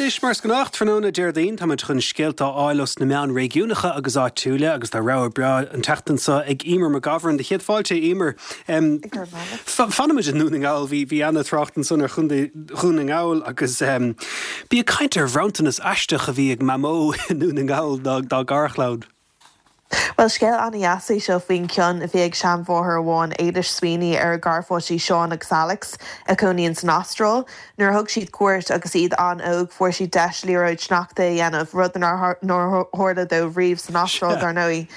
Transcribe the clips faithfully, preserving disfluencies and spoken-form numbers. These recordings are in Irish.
Anois mar is gnách tráthnóna Déardaoin táimid chun scéalta a fháil os na meáin réigiúnacha agus áitiúla agus tá rogha breá an tseachtain seo ag Emer McGovern do chéad fáilte Emer. Um, Fanfaimid i nDún na nGall bhí bhí an-trácht ansan ar Chontae Dhún na nGall agus um, bí ag caint ar bhronntanas aisteach a bhí ag Mamó i nDún na nGall dá, dá garchlann. Well scéal an-deas é seo faoin cion a bhí ag seanmháthair amháin Éilish Sweeney ar a garpháistí Seán agus Alex a chónaíonn san Astráil. Nuair a thug siad cuairt agus iad an-óg fuair siad deis liathróid sneachta a dhéanamh rud nár tharla dóibh riamh san Astráil dar ndóigh.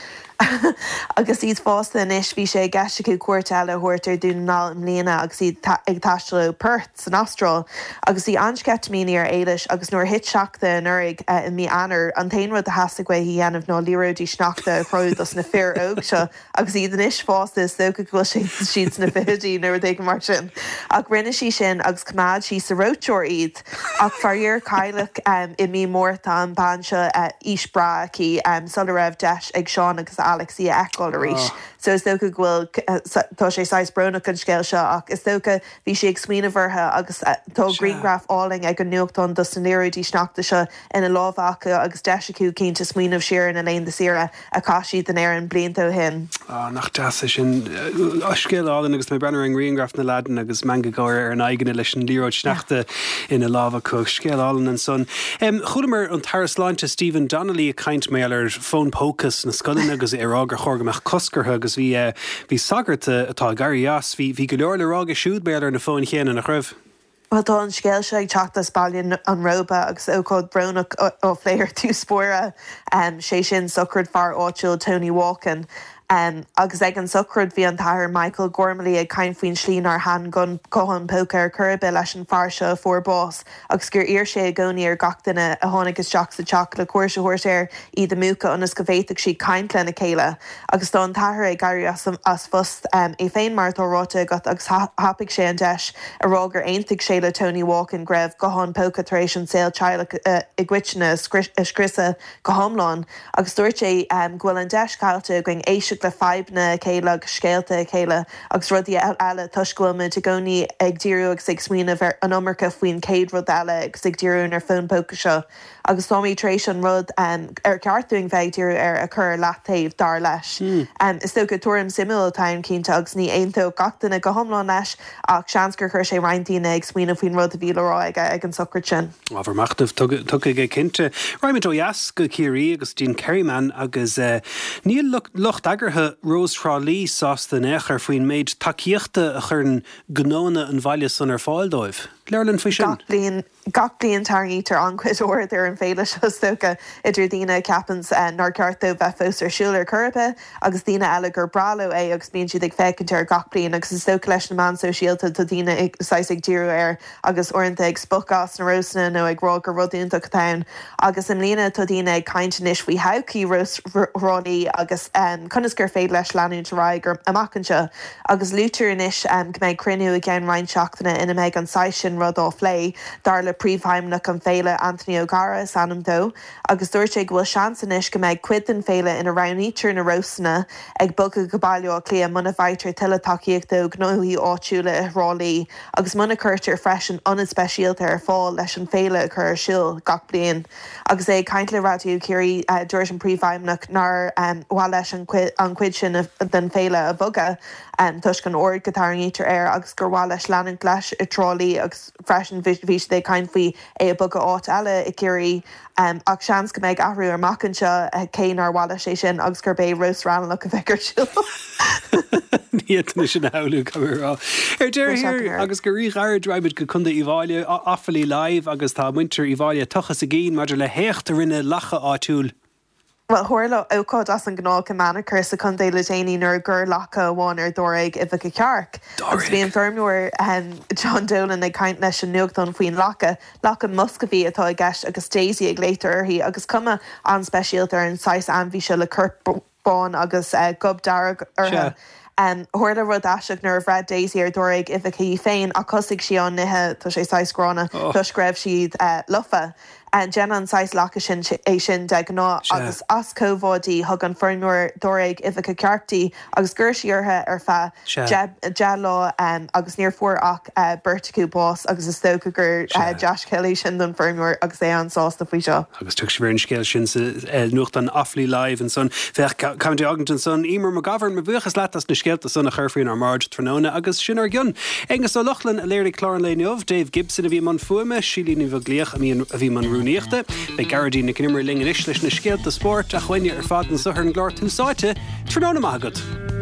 agus iad fásta anois bhí sé i gceist acu cuairt eile a thabhairt ar Dhún na nGall i mbliana agus iad ag taisteal ó Perth san Astráil. agus bhí an-sceitimíní ar Éilish agus nuair thit sneachta anuraidh i mí Eanáir an t-aon rud a theastaigh uaithi a dhéanamh ná liathróidí sneachta a chruthú dos na fir óg seo agus iad anois fásta is dócha go bhfuil siad sna fichidí nó rud éigin mar sin. Ach rinne sí sin agus choimeád sí sa reoiteoir iad. Ach faraor cailleadh um, i mí Márta an bean seo uh, aois bhreá aici um, sula raibh deis ag Seán agus Alex í a fheiceáil arís. Oh. So is dócha go bhfuil tá sé saghas brónach an scéal seo ach is dócha bhí sí ag smaoineamh orthu agus tá grianghraf álainn ag an nuachtán dos na liathróidí sneachta seo ina lámha acu agus deis acu cinnte smaoineamh siar ina laethanta saoire a chaith siad in Éirinn blianta ó shin. Ah, nach deas é sin scéal álainn agus mé breathnú ar an ngrianghraf na leaideanna agus meangadh gáire ar a n-aghaidheanna leis an liathróid sneachta ina lámha acu scéal álainn ansan. Um, Chualamar an tAire Sláinte Stephen Donnelly ag caint mar gheall ar fón póca sna scoileanna agus é rá gur chóir go mbeadh cosc orthu agus bhí uh, bhí sagart atá ag éirí as bhí bhí go leor le rá aige siúd mar gheall ar na fóin chéanna nach raibh. Well tá an scéal seo ag teacht as Baile an Róba agus ócáid bhrónach á phlé ar dtús báire um, sé sin sochraid fear áitiúil Tony Walken. Um, agus ag an sochraid bhí an tAthair Michael Gormley ag caint faoin slí nár thaitin guthán póca ar chor ar bith leis an fear seo a fuair bás, agus gur iarr sé i gcónaí ar gach duine a tháinig isteach sa teach le cuairt a thabhairt air iad a mhúchadh ionas go bhféadfadh siad caint lena chéile. agus tá an t-athair ag éirí as, as phost um, é féin mar atá ráite agat agus thapaigh sé an deis a rá gur aontaigh sé le Tony Walken go raibh guthán póca tar éis an saol teaghlach uh, i gcoitinne a scriosadh go hiomlán, agus dúirt sé um, go bhfuil an deis caillte againn éisteacht le fadhbanna a chéile agus scéalta a chéile agus rudaí eile toisc go bhfuilmuid i gcónaí ag díriú agus ag smaoineamh ar an iomarca faoin chéad rud eile agus ag díriú ar fón póca seo. agus táimid tar éis an rud um, ar ceart dúinn bheith díriú ar a chur leataobh dar leis. Mm. Um, is dócha tuairim suimiúil atá cinnte agus ní aontódh gach duine go hiomlán leis ach seans gur chuir sé roinnt daoine ag smaoineamh faoin rud a bhí le rá aige ag an sochraid sin. Ábhar machnaimh tugtha aige cinnte. Raghaimid ó dheas go Ciarraí agus dtí an Kerryman agus uh, níl lucht eagraithe Rós Thrá Lí sásta in aon chor faoin méid tacaíochta a chuireann gnónna an bhaile san ar fáil dóibh. Labhair linn faoi sin. Gach bliain gach bliain tarraingítear an-chuid aird ar an féile seo dócha idir daoine a cheapann uh, nár cheart dó bheith fós ar siúl ar chor ar bith agus daoine eile gur breá leo é agus bíonn siad ag féachaint ar gach bliain agus is dócha leis na meáin sóisialta tá daoine saghas ag díriú air agus uaireanta ag spochadh as na rósanna nó ag rá gur rud iontach atá ann. agus i mbliana tá daoine ag caint anois faoi thodhchaí Rós Thrá Lí agus um, conas gur féidir leis leanúint ar aghaidh amach anseo agus luaitear anois um, go mbeidh cruinniú i gceann roinnt seachtaine ina mbeidh an saghas sin rud á phlé dar le príomhfheidhmeannach an féile Anthony O'Gara is ainm dó, agus dúirt sé go bhfuil seans anois go mbeidh cuid den féile ina roghnaítear na rósanna ag bogadh go Baile Átha Cliath muna bhfaightear tuilleadh tacaíochta ó ghnóthaí áitiúla i dTrá Lí, agus muna gcuirtear freisin ionad speisialta ar fáil leis an féile a chur ar siúl gach bliain. Agus é ag caint le Raidió Chiarraí uh, dúirt an príomhfheidhmeannach nár um, mhaith leis an an chuid sin den féile a bhogadh um, toisc an aird go dtarraingítear air agus gur mhaith leis leanúint leis i dTrá Lí agus freisin bhí sé ag caint faoi é a bhogadh áit eile i gCiarraí um, ach seans go mbeidh athrú amach anseo uh, cé nár mhaith leis é sin agus gurb é Rós Raghnallach a bheidh ar siúl. Ní sin hamú rá. Ar deireadh agus go ríghairid raghaimid go Contae Uíbh Fhailí Offaly Live agus tá muintir Uíbh Fhailí ag tochas a gcinn maidir le héacht a rinne lacha áitiúil. Well tharla ócáid as an ngnách i Manuchar sa chontae le déanaí nuair a ghoir lacha amháin ar dáréag uibheacha cearc. Agus bhí an feirmeoir um, John Dolan ag caint leis an nuachtán faoin lacha, lacha Muscovy atá i gceist agus Daisy a ghlaoitear uirthi agus cuma an-speisialta ar an saghas ainmhí seo le corp bán agus gob dearg orthu. Tharla rud aisteach nuair a bhreith Daisy ar dáréag uibheacha í féin ach thosaigh sí á n-ithe, tá sé saghas gránna, toisc go raibh siad lofa. Déanann an saghas lacha sin é sin de ghnáth agus as comhbhá di thug an feirmeoir dáréag uibheacha cearc di agus ghoir sí orthu ar feadh deich lá agus níor fuair ach beirt acu bás agus is dócha gur dea-scéal é sin don feirmeoir agus é an-sásta faoi seo. Agus tuig sibh ar an scéal sin sa nuachtán Offaly Live ansan. Féach County Ogden ansan. Emer McGovern, mo bhuíochas leat as na scéalta san a chur faoinár mbráid tráthnóna agus sin ár gcionn. Aengus Ó Lochlainn a léirigh clár an lae inniu, Dave Gibson a bhí i mbun fuaime, Síle Ní Bheaglaoich a bhí i mbun rúnaíochta. Beidh Gearóidín Nic an Iomaire linn anois leis na scéalta spóirt ach uainne ar fad anseo ar an gclár Tús Áite. Tráthnóna maith agat.